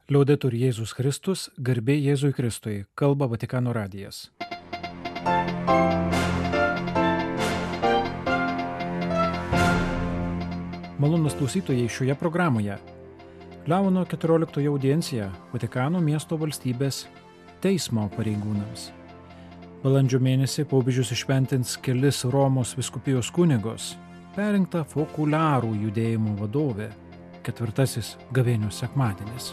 Liaudetur Jėzus Kristus, garbė Jėzui Kristui, kalba Vatikano radijas. Malonūs klausytojai, šioje programoje Leono XIV audiencija Vatikano miesto valstybės teismo pareigūnams. Balandžio mėnesį popiežius išventins kelis Romos vyskupijos kunigus, perrinkta fokuliarų judėjimo vadovė, 4. gavėnios sekmadienis.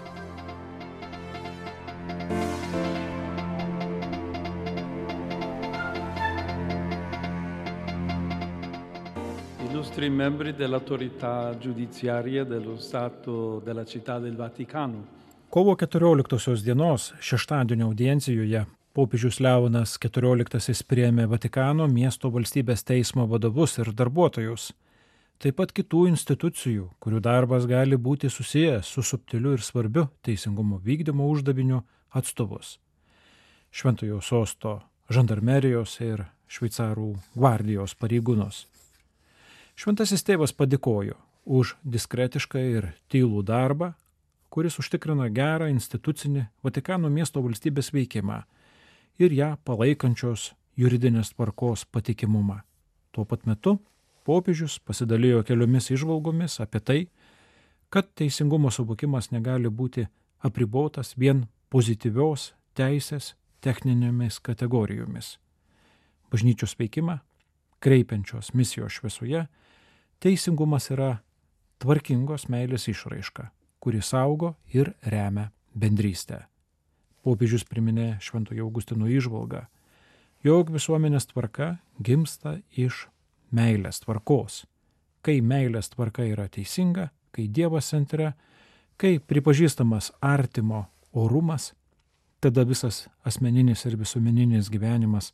Illustri membri dell'autorità giudiziaria dello Stato della Città del Vaticano. Kovo 14 dienos šeštadienio audiencijoje popiežius Leonas XIV priėmė Vatikano miesto valstybės teismo vadovus ir darbuotojus, taip pat kitų institucijų, kurių darbas gali būti susijęs su subtiliu ir svarbiu teisingumo vykdymo uždaviniu atstovus. Šventojo sosto žandarmerijos ir šveicarų gvardijos pareigūnus. Šventasis tėvas padėkojo už diskretišką ir tylų darbą, kuris užtikrina gerą institucinį Vatikano miesto valstybės veikimą ir ją palaikančios juridinės tvarkos patikimumą. Tuo pat metu popiežius pasidalijo keliomis įžvalgomis apie tai, kad teisingumo suvokimas negali būti apribotas vien pozityvios teisės techninėmis kategorijomis. Bažnyčios veikimą, kreipiančios misijos šviesoje, teisingumas yra tvarkingos meilės išraiška, kuri saugo ir remia bendrystę. Popiežius priminė Šventojo Augustino įžvalgą, jog visuomenės tvarka gimsta iš meilės tvarkos. Kai meilės tvarka yra teisinga, kai Dievas centre, kai pripažįstamas artimo orumas, tada visas asmeninis ir visuomeninis gyvenimas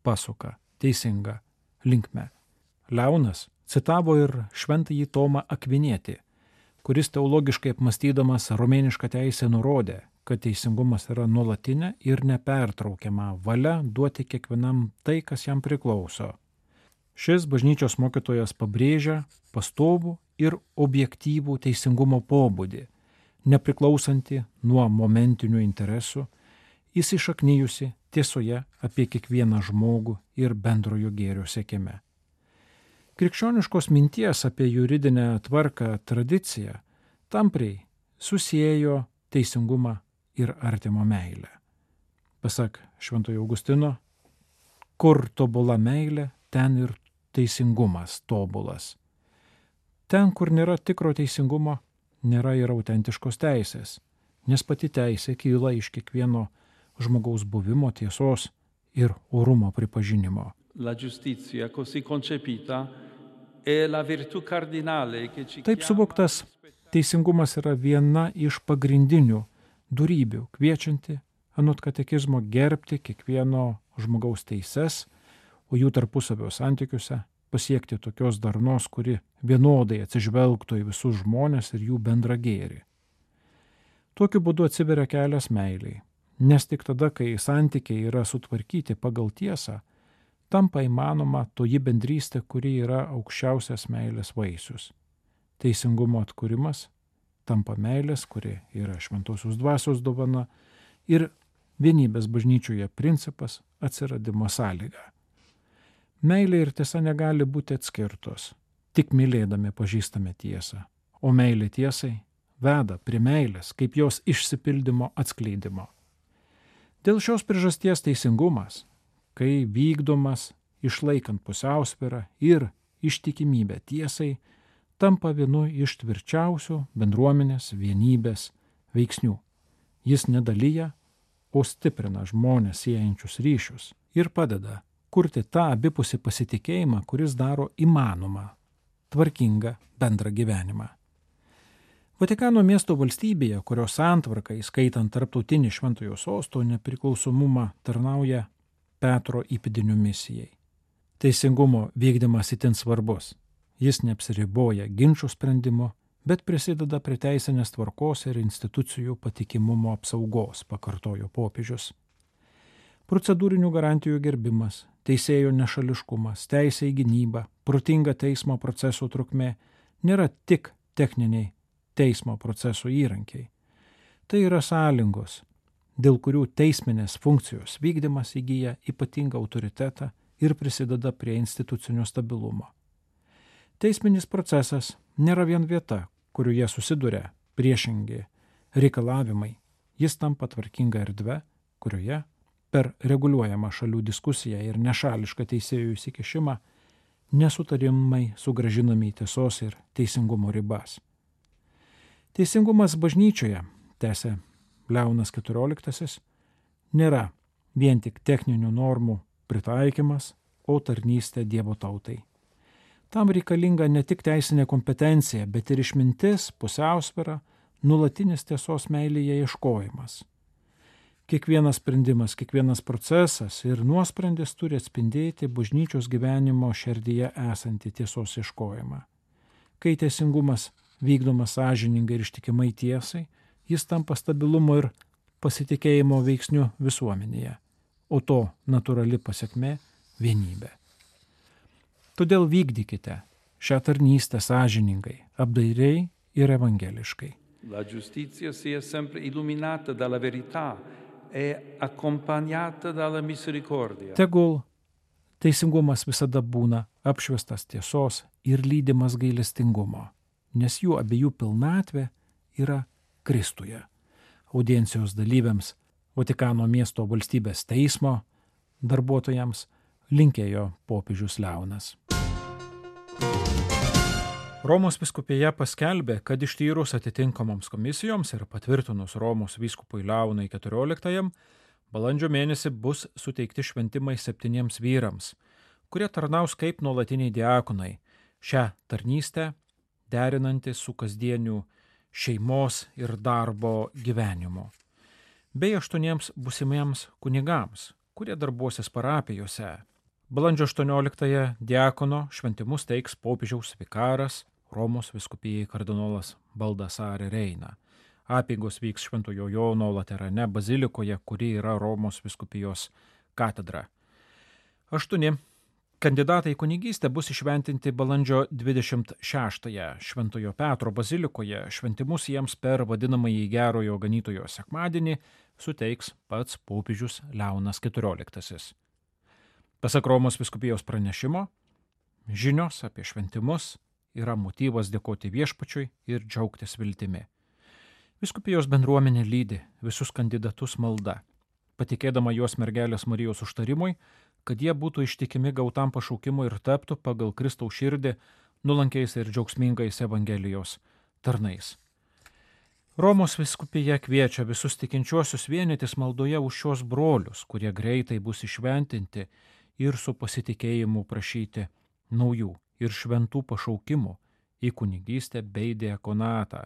pasuka teisinga linkme. Leonas citavo ir šventąjį Tomą Akvinietį, kuris teologiškai apmąstydamas romėnišką teisę nurodė, kad teisingumas yra nuolatinė ir nepertraukiama valia duoti kiekvienam tai, kas jam priklauso. Šis bažnyčios mokytojas pabrėžia pastovų ir objektyvų teisingumo pobūdį, nepriklausantį nuo momentinių interesų, įsišaknijusi tiesoje apie kiekvieną žmogų ir bendrojo gėrio siekime. Krikščioniškos minties apie juridinę tvarką tradiciją tampriai susiejo teisingumą ir artimo meilę. Pasak Šventojo Augustino, kur tobula meilė, ten ir teisingumas tobulas. Ten, kur nėra tikro teisingumo, nėra ir autentiškos teisės, nes pati teisė kyla iš kiekvieno žmogaus buvimo tiesos ir orumo pripažinimo. La giustizia così concepita è la virtù cardinale che ci Taip suvoktas, teisingumas yra viena iš pagrindinių dorybių, kviečianti anot katekizmo gerbti kiekvieno žmogaus teises, o jų tarpusavio santykiuose pasiekti tokios darnos, kuri vienodai atsižvelgtų į visus žmones ir jų bendrą gėrį. Tokiu būdu atsiveria kelias meiliai, nes tik tada, kai santykiai yra sutvarkyti pagal tiesą, tampa įmanoma toji bendrystė, kuri yra aukščiausias meilės vaisius. Teisingumo atkūrimas tampa meilės, kuri yra šventosios dvasios dovana, ir vienybės bažnyčioje principas atsiradimo sąlyga. Meilė ir tiesa negali būti atskirtos, tik mylėdami pažįstame tiesą, o meilė tiesai veda prie meilės kaip jos išsipildymo atskleidimo. Dėl šios priežasties teisingumas, kai vykdomas išlaikant pusiausvyrą ir ištikimybę tiesai, tampa vienu iš tvirčiausių bendruomenės vienybės veiksnių. Jis nedalyja, o stiprina žmones siejančius ryšius ir padeda kurti tą abipusį pasitikėjimą, kuris daro įmanomą tvarkingą bendrą gyvenimą. Vatikano miesto valstybėje, kurios santvarka, įskaitant tarptautinį Šventojo sosto nepriklausomumą, tarnauja Petro įpėdinių misijai. Teisingumo vykdymas itin svarbus. Jis neapsiriboja ginčų sprendimo, bet prisideda prie teisinės tvarkos ir institucijų patikimumo apsaugos, pakartojo popiežius. Procedūrinių garantijų gerbimas, teisėjo nešališkumas, teisė į gynybą, protinga teismo proceso trukmė nėra tik techniniai teismo proceso įrankiai. Tai yra sąlygos, dėl kurių teisminės funkcijos vykdymas įgyja ypatingą autoritetą ir prisideda prie institucinio stabilumo. Teisminis procesas nėra vien vieta, kurioje susiduria priešingi reikalavimai. Jis tampa tvarkinga erdve, kurioje per reguliuojamą šalių diskusiją ir nešališką teisėjų įsikišimą nesutarimai sugrąžinami į tiesos ir teisingumo ribas. Teisingumas bažnyčioje, tęsė Leonas XIV, nėra vien tik techninių normų pritaikymas, o tarnystė Dievo tautai. Tam reikalinga ne tik teisinė kompetencija, bet ir išmintis, pusiausvyra, nuolatinis tiesos meilėje ieškojimas. Kiekvienas sprendimas, kiekvienas procesas ir nuosprendis turi atspindėti bažnyčios gyvenimo širdyje esantį tiesos ieškojimą. Kai teisingumas vykdomas sąžiningai ir ištikimai tiesai, jis tampa stabilumo ir pasitikėjimo veiksniu visuomenėje, o to natūrali pasekmė – vienybė. Todėl vykdykite šią tarnystę sąžiningai, apdairiai ir evangeliškai. La giustizia sia sempre illuminata dalla verità e accompagnata dalla misericordia. Tegul teisingumas visada būna apšviestas tiesos ir lydimas gailestingumo, nes jų abiejų pilnatvė yra Kristuje. Audiencijos dalyviams, Vatikano miesto valstybės teismo darbuotojams linkėjo popiežius Leonas. Romos vyskupija paskelbė, kad ištyrus atitinkamoms komisijoms ir patvirtinus Romos vyskupui Leonui XIV, balandžio mėnesį bus suteikti šventimai 7 vyrams, kurie tarnaus kaip nuolatiniai diakonai, šią tarnystę derinantys su kasdieniu šeimos ir darbo gyvenimu, bei 8 būsimiems kunigams, kurie darbuosis parapijose. Balandžio 18 diakono šventimus teiks popiežiaus vikaras Romos vyskupijai kardinolas Baldassare Reina. Apeigos vyks Šventojo Jono Laterane bazilikoje, kuri yra Romos vyskupijos katedra. 8 kandidatai į kunigystę bus išventinti balandžio 26-ąją Šventojo Petro bazilikoje. Šventimus jiems per vadinamąjį Gerojo Ganytojo sekmadienį suteiks pats popiežius Leonas XIV. Pasak Romos vyskupijos pranešimo, žinios apie šventimus yra motyvas dėkoti viešpačiui ir džiaugtis viltimi. Vyskupijos bendruomenė lydi visus kandidatus malda, patikėdama juos mergelės Marijos užtarimui, kad jie būtų ištikimi gautam pašaukimui ir taptų pagal Kristaus širdį nuolankiais ir džiaugsmingais Evangelijos tarnais. Romos vyskupija kviečia visus tikinčiuosius vienytis maldoje už šios brolius, kurie greitai bus išventinti ir su pasitikėjimu prašyti naujų ir šventų pašaukimų į kunigystę bei diakonatą,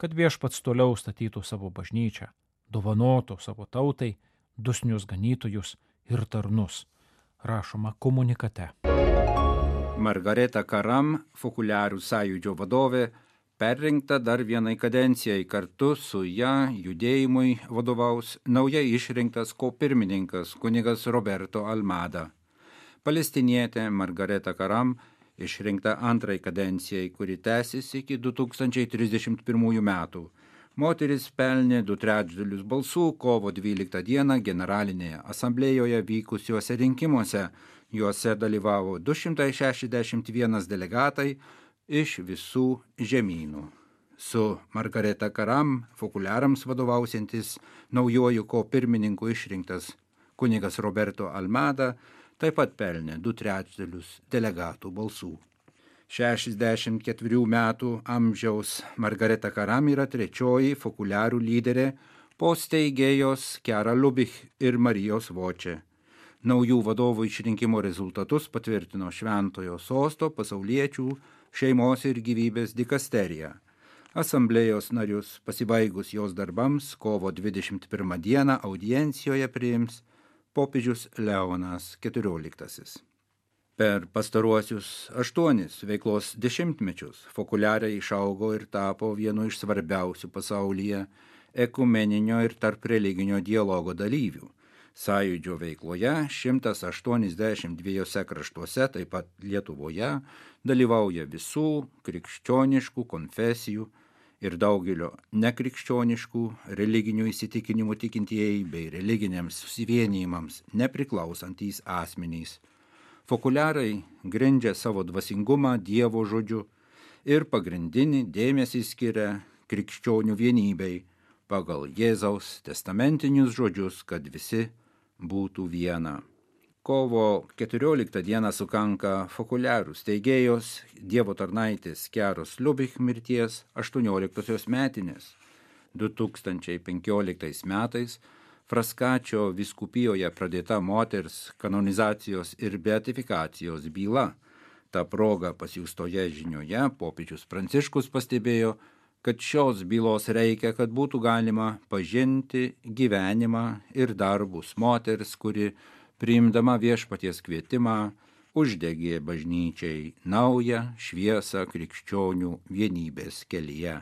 kad viešpats toliau statytų savo bažnyčią, dovanotų savo tautai dosnius ganytojus ir tarnus, rašoma komunikate. Margareta Karam, Fokuliarų sąjūdžio vadovė, perrinkta dar vienai kadencijai, kartu su ją judėjimui vadovaus naujai išrinktas kopirmininkas kunigas Roberto Almada. Palestinietė Margareta Karam išrinkta antrai kadencijai, kuri tęsis iki 2031 metų. Moteris pelnė 2/3 balsų kovo 12 dieną generalinėje asamblėjoje vykusiuose rinkimuose. Juose dalyvavo 261 delegatai iš visų žemynų. Su Margareta Karam Fokuliarams vadovausiantis naujuoju kopirmininku išrinktas kunigas Roberto Almada taip pat pelnė 2/3 delegatų balsų. 64 metų amžiaus Margareta Karam yra trečioji Fokuliarų lyderė po steigėjos Chiara Lubich ir Marijos Voče. Naujų vadovų išrinkimo rezultatus patvirtino Šventojo sosto pasauliečių šeimos ir gyvybės dikasterija. Asamblėjos narius pasibaigus jos darbams kovo 21 dieną audiencijoje priims popiežius Leonas XIV. Per pastaruosius 8 veiklos dešimtmečius Fokuliarai išaugo ir tapo vienu iš svarbiausių pasaulyje ekumeninio ir tarp religinio dialogo dalyvių. Sąjūdžio veikloje 182 kraštuose, taip pat Lietuvoje, dalyvauja visų krikščioniškų konfesijų ir daugelio nekrikščioniškų religinių įsitikinimų tikintieji bei religiniams susivienijimams nepriklausantys asmenys. Fokuliarai grindžia savo dvasingumą Dievo žodžiu ir pagrindinį dėmesį skiria krikščionių vienybei pagal Jėzaus testamentinius žodžius, kad visi būtų viena. Kovo 14 dieną sukanka Fokuliarų steigėjos Dievo tarnaitės Chiaros Lubich mirties 18 metinės. 2015 metais Frascaccio vyskupijoje pradėta moters kanonizacijos ir beatifikacijos byla. Ta proga pasiųstoje žinioje popiežius Pranciškus pastebėjo, kad šios bylos reikia, kad būtų galima pažinti gyvenimą ir darbus moters, kuri priimdama viešpaties kvietimą uždegė bažnyčiai naują šviesą krikščionių vienybės kelyje.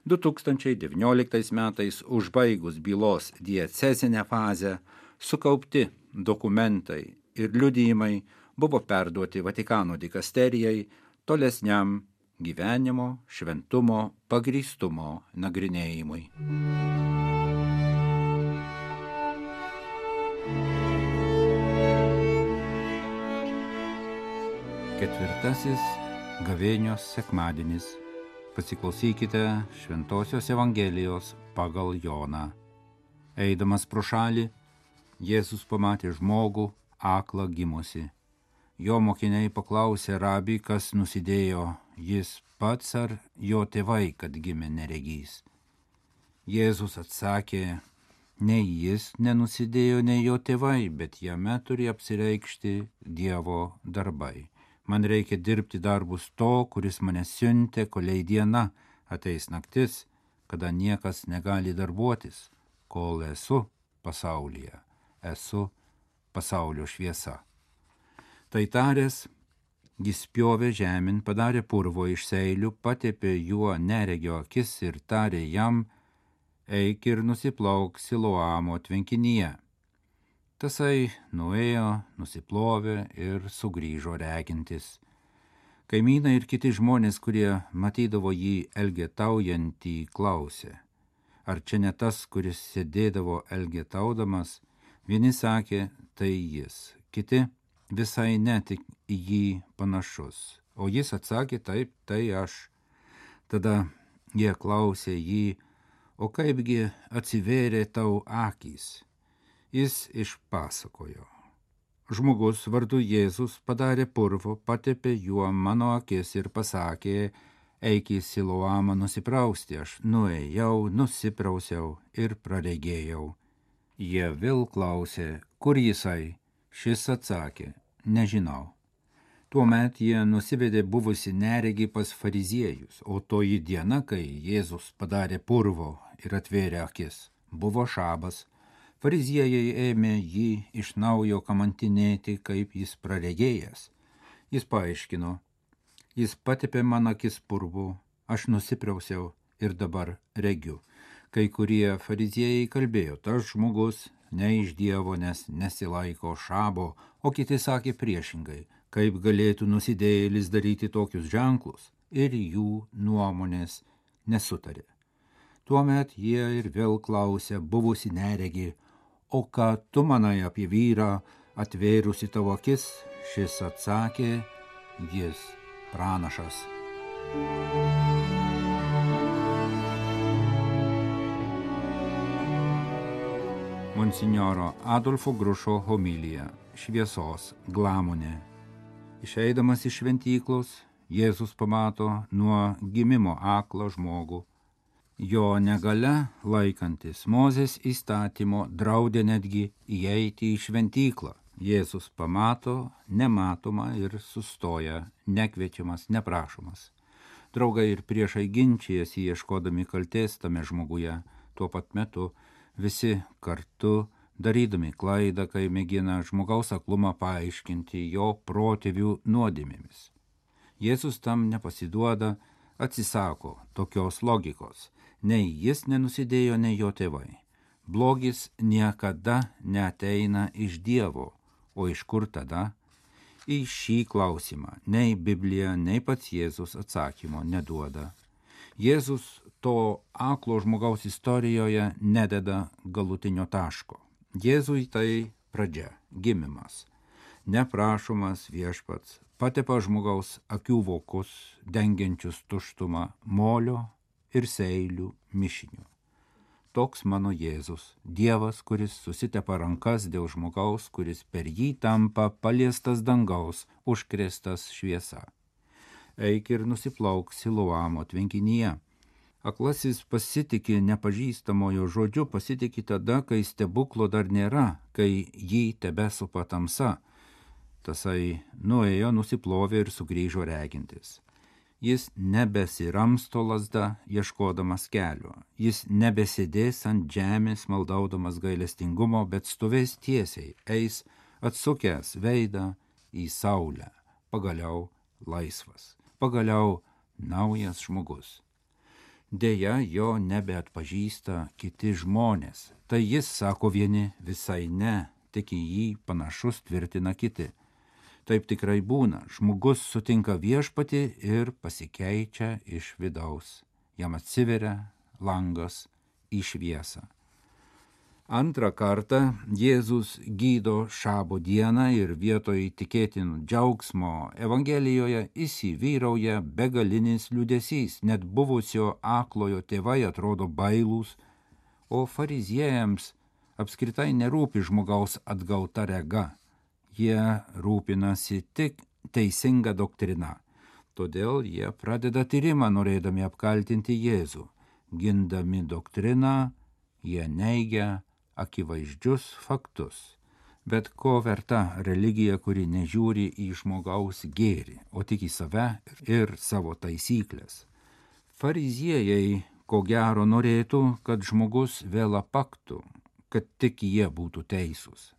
2019 metais užbaigus bylos diecezinę fazę sukaupti dokumentai ir liudijimai buvo perduoti Vatikano dikasterijai tolesniam gyvenimo, šventumo, pagrįstumo nagrinėjimui. Ketvirtasis gavėnios sekmadienis. Pasiklausykite Šventosios Evangelijos pagal Joną. Eidamas pro šalį, Jėzus pamatė žmogų aklą gimusį. Jo mokiniai paklausė rabį, kas nusidėjo, jis pats ar jo tėvai, kad gimė neregys. Jėzus atsakė, nei jis nenusidėjo, nei jo tėvai, bet jame turi apsireikšti Dievo darbai. Man reikia dirbti darbus to, kuris mane siuntė, kolei diena, ateis naktis, kada niekas negali darbuotis, kol esu pasaulyje, esu pasaulio šviesa. Tai taręs, jis spjovė žemyn, padarė purvo iš seilių, patepė juo neregio akis ir tarė jam, eik ir nusiplauk Siloamo tvenkinyje. Tasai nuėjo, nusiplovė ir sugrįžo regintis. Kaimynai ir kiti žmonės, kurie matydavo jį elgetaujantį, klausė, ar čia ne tas, kuris sėdėdavo elgetaudamas? Vieni sakė, tai jis, kiti visai ne tik į jį panašus, o jis atsakė, taip, tai aš. Tada jie klausė jį, o kaipgi atsivėrė tau akys? Jis išpasakojo. Žmogus vardu Jėzus padarė purvo, patepė juo mano akis ir pasakė, eik į Siloamą nusiprausti. Aš nuėjau, nusiprausiau ir praregėjau. Jie vėl klausė, kur jisai? Šis atsakė, nežinau. Tuomet jie nusivedė buvusi neregį pas fariziejus, o toji diena, kai Jėzus padarė purvo ir atvėrė akis, buvo šabas. Fariziejai ėmė jį iš naujo kamantinėti, kaip jis praregėjęs. Jis paaiškino, jis patepė man akis purvu, aš nusiprausiau ir dabar regiu. Kai kurie fariziejai kalbėjo, tas žmogus ne iš Dievo, nes nesilaiko šabo, o kiti sakė priešingai, kaip galėtų nusidėjėlis daryti tokius ženklus, ir jų nuomonės nesutarė. Tuomet jie ir vėl klausė buvusi neregį, o ką tu manai apie vyrą, atvėrusi tavo akis? Šis atsakė, jis pranašas. Monsinjoro Adolfo Grušo homilija, šviesos glamonė. Išeidamas iš šventyklos, Jėzus pamato nuo gimimo aklą žmogų. Jo negalia laikantis Mozės įstatymo draudė netgi įeiti į šventyklą. Jėzus pamato nematomą ir sustoja, nekviečiamas, neprašomas. Draugai ir priešai ginčijasi ieškodami kaltės tame žmoguje, tuo pat metu visi kartu darydami klaidą, kai mėgina žmogaus aklumą paaiškinti jo protėvių nuodėmėmis. Jėzus tam nepasiduoda, atsisako tokios logikos. Nei jis nenusidėjo, nei jo tėvai. Blogis niekada neateina iš Dievo, o iš kur tada? Į šį klausimą nei Biblija, nei pats Jėzus atsakymo neduoda. Jėzus to aklo žmogaus istorijoje nededa galutinio taško. Jėzui tai pradžia, gimimas, neprašomas viešpats, patepa žmogaus akių vokus, dengiančius tuštumą molio ir seilių mišiniu. Toks mano Jėzus, Dievas, kuris susitepa rankas dėl žmogaus, kuris per jį tampa paliestas dangaus, užkrėstas šviesa. Eik ir nusiplauk Siloamo tvenkinyje. Aklasis pasitiki nepažįstamojo žodžiu, pasitiki tada, kai stebuklo dar nėra, kai jį tebesupa tamsa. Tasai nuėjo, nusiplovė ir sugrįžo regintis. Jis nebesiramsto lazda, ieškodamas kelio. Jis nebesėdės ant žemės, maldaudamas gailestingumo, bet stovės tiesiai, eis atsukęs veidą į saulę. Pagaliau laisvas. Pagaliau naujas žmogus. Deja, jo nebeatpažįsta kiti žmonės. Tai jis, sako vieni, visai ne, tik į jį panašus tvirtina kiti. Taip tikrai būna. Žmogus sutinka viešpatį ir pasikeičia iš vidaus. Jam atsiveria langas į šviesą. Antrą kartą Jėzus gydo šabo dieną ir vietoj tikėtinų džiaugsmo Evangelijoje įsivyrauja begalinis liūdesys. Net buvusio aklojo tėvai atrodo bailūs, o fariziejams apskritai nerūpi žmogaus atgauta rega. Jie rūpinasi tik teisinga doktrina. Todėl jie pradeda tyrimą, norėdami apkaltinti Jėzų. Gindami doktriną, jie neigia akivaizdžius faktus. Bet ko verta religija, kuri nežiūri į žmogaus gėrį, o tik į save ir savo taisyklės? Fariziejai, ko gero, norėtų, kad žmogus vėl apaktų, kad tik jie būtų teisūs.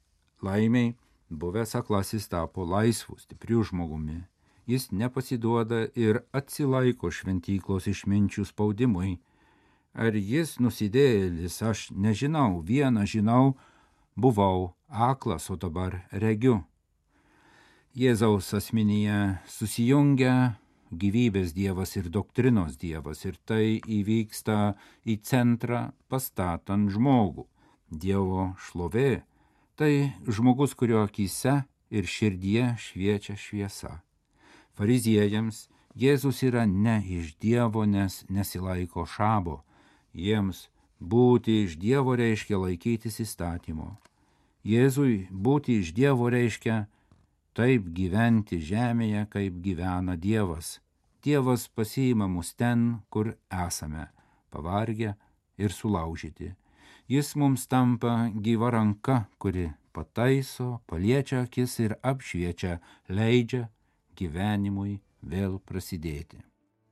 Laimiai, buvęs aklasis tapo laisvu, stipriu žmogumi. Jis nepasiduoda ir atsilaiko šventyklos išminčių spaudimui. Ar jis nusidėjėlis, aš nežinau, vieną žinau, buvau aklas, o dabar regiu. Jėzaus asmenyje susijungia gyvybės Dievas ir doktrinos Dievas, ir tai įvyksta į centrą pastatant žmogų. Dievo šlovė tai žmogus, kurio akyse ir širdyje šviečia šviesa. Fariziejams Jėzus yra ne iš Dievo, nes nesilaiko šabo. Jiems būti iš Dievo reiškia laikytis įstatymo. Jėzui būti iš Dievo reiškia taip gyventi žemėje, kaip gyvena Dievas. Dievas pasiima mus ten, kur esame, pavargę ir sulaužyti. Jis mums tampa gyva ranka, kuri pataiso, paliečia akis ir apšviečia, leidžia gyvenimui vėl prasidėti.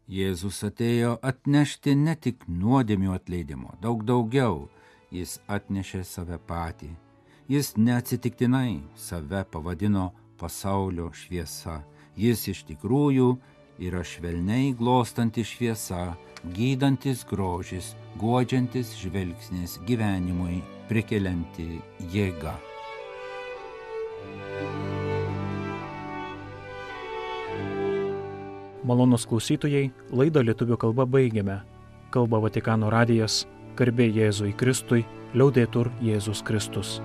Jėzus atėjo atnešti ne tik nuodėmių atleidimo, daug daugiau. Jis atnešė save patį. Jis neatsitiktinai save pavadino pasaulio šviesa. Jis iš tikrųjų yra švelniai glostanti šviesa, gydantis grožis, guodžiantis žvilgsnis, gyvenimui prikelianti jėga. Malonūs klausytojai, laidą lietuvių kalba baigiame. Kalba Vatikano radijas, garbė Jėzui Kristui, liaudetur Jėzus Kristus.